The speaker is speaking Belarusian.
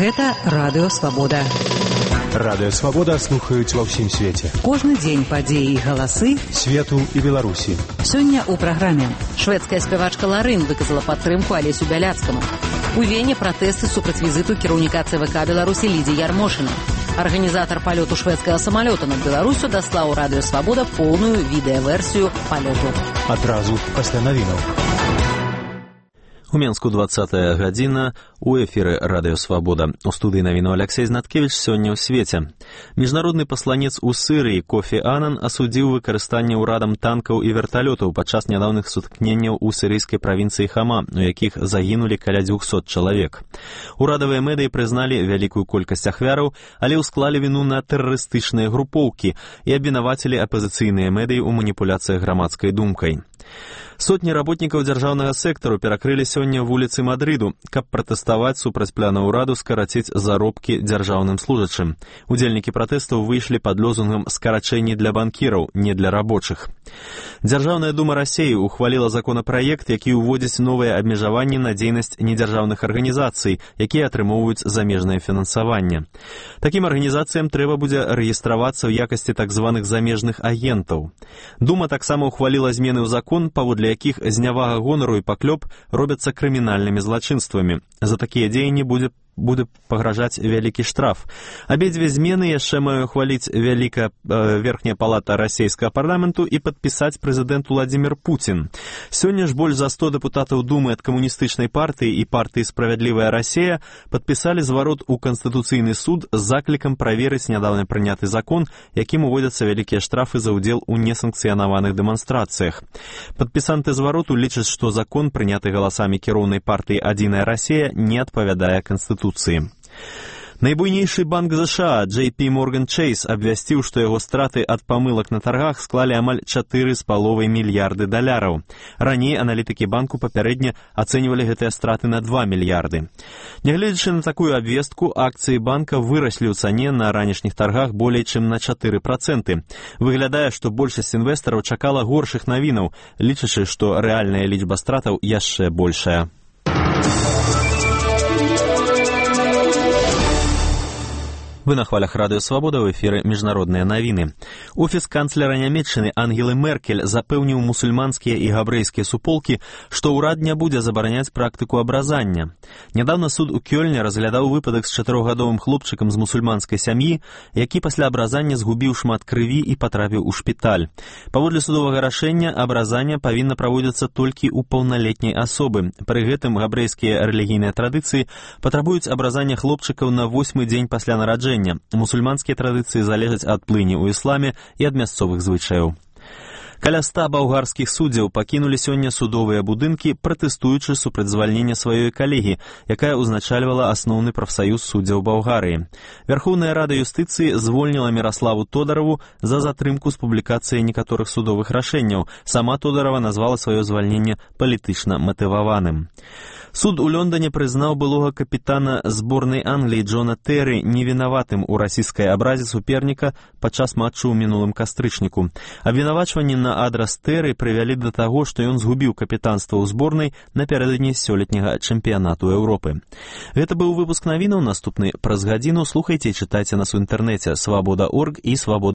Гэта Радыё Свабода. Радыё Свабода слухаюць ва ўсім свеце. Кожны дзень падзеі і галасы свету і Беларусі. Сёння ў праграме шведская спявачка Ларын выказала падтрымку Алесю Бяляцкаму. У Вене пратэсты супраць візіту кіраўніка ЦВК Беларусі Лідзіі Ярмошына. Арганізатар палёту шведскага самалёта над Беларусю даслаў Радыё Свабода поўную відэаверсію палёту. Адразу пасля навінаў. У Менску 20-я гадзіна, у эфіры Радыё Свабода. У студыі навіну Алексей Знаткевіч сёння ў свеце. Міжнародны пасланец у Сырыі Кофі Анан асудзіў выкарыстанне ўрадам танкаў і верталётаў падчас нядаўных сутыкненняў у сірыйскай правінцыі Хама, у якіх загінулі каля 200 чалавек. Урадавыя медыі прызналі вялікую колькасць ахвяраў, але ўсклалі віну на тэрарыстычныя групоўкі і абвінавацілі апазіцыйныя медыі ў маніпуляцыях грамадскай думкай. Сотні работнікаў дзяржаўнага сектару перакрылі сёння вуліцы Мадрыду, каб пратэставаць супраць пляна ўраду скараціць заробкі дзяржаўным служачым. Удзельнікі пратэстаў выйшлі пад лозунгам «Скарачэнні для банкіраў, не для рабочых». Дзяржаўная дума Расіі ухваліла законапраект, які ўводзіць новыя абмежаванні на дзейнасць недзяржаўных арганізацый, якія атрымоўваюць замежнае фінансаванне. Такім арганізацыям трэба будзе рэгістравацца ў якасці так званых замежных агентаў. Дума таксама ухваліла змены ў закон, паводле якіх знявага гонару і паклёп робяцца крымінальнымі злачынствамі. За такія дзеянні будзе пагражаць вялікі штраф. Абедзве змены яшчэ мае ухваліць верхняя палата расійскага парламенту і падпісаць прэзідэнт Уладзімір Пуцін. Сёння ж больш за 100 дэпутатаў Думы ад камуністычнай партыі і партыі «Справядлівая Расія» падпісалі зварот у Канстытуцыйны суд з заклікам праверыць нядаўна прыняты закон, якім уводзяцца вялікія штрафы за ўдзел у несанкцыянаваных дэманстрацыях. Падпісанты звароту лічаць, што закон, прыняты галасамі кіроўнай партыі «Адзіная Расія», не адпавядае Канстытуцыі. Найбуйнейшы банк США JP Morgan Chase абвясціў, што яго страты ад памылак на таргах склалі амаль $4,5 мільярды. Раней аналітыкі банку папярэдне ацэньвалі гэтыя страты на $2 мільярды. Нягледзячы на такую абвестку, акцыі банка выраслі ў цане на ранішніх таргах болей чым на 4%. Выглядае, што большасць інвестараў чакала горшых навінаў, лічачы, што рэальная лічба стратаў яшчэ большая. Вы на хвалях Радыё Свабода, ў эфіры міжнародныя навіны. Офіс канцлера Нямецчыны Ангелы Меркель запэўніў мусульманскія і габрэйскія суполкі, што ўрад не будзе забараняць практыку абразання. Нядаўна суд у Кёльне разглядаў выпадак з 4-гадовым хлопчыкам з мусульманскай сям'і, які пасля абразання згубіў шмат крыві і патрапіў у шпіталь. Паводле судовага рашэння, абразанне павінна праводзіцца толькі ў паўналетняй асобы. Пры гэтым габрэйскія рэлігійныя традыцыі патрабуюць абразання хлопчыкаў на 8-й дзень пасля нараджэння. Мусульманскія традыцыі залежаць ад плыні ў ісламе і ад мясцовых звычаяў. Каля 100 балгарскіх суддзяў пакінулі сёння судовыя будынкі, пратэстуючы супраць звальнення сваёй калегі, якая ўзначальвала асноўны прафсаюз суддзяў Балгарыі. Вярхоўная рада юстыцыі звольніла Міраславу Тодараву за затрымку з публікацыяй некаторых судовых рашэнняў. Сама Тодарава назвала сваё звальненне палітычна матываваным. Суд у Лондоне прызнаў былога капітана зборнай Англіі Джона Тэрры невінаватым у расійскай абразе суперніка падчас матчу ў мінулым кастрычніку. Абвінавачванні на адрас Тэрры прывялі да таго, што ён згубіў капітанства ў зборнай напярэдадні сёлетняга чэмпіянату Еўропы. Гэта быў выпуск навінаў, наступны праз гадзіну. Слухайце і чытайце нас у інтэрнэце свабода.орг і свабода.